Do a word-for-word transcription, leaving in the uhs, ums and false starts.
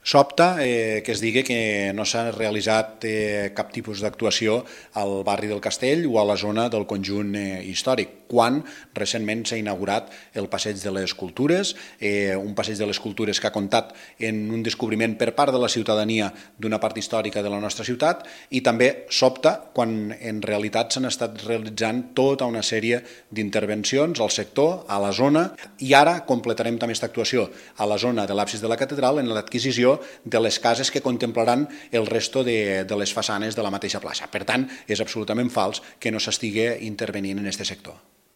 Sobta eh, que es digui que no s'ha realitzat eh, cap tipus d'actuació al barri del Castell o a la zona del conjunt eh, històric, quan recentment s'ha inaugurat el Passeig de les Cultures, eh, un Passeig de les Cultures que ha comptat en un descobriment per part de la ciutadania d'una part històrica de la nostra ciutat, i també sobta quan en realitat s'han estat realitzant tota una sèrie d'intervencions al sector, a la zona, i ara completarem també aquesta actuació a la zona de l'absis de la catedral en l'adquisició de les cases que contemplaran el resto de, de les façanes de la mateixa plaça. Per tant, és absolutament fals que no s'estigui intervenint en aquest sector.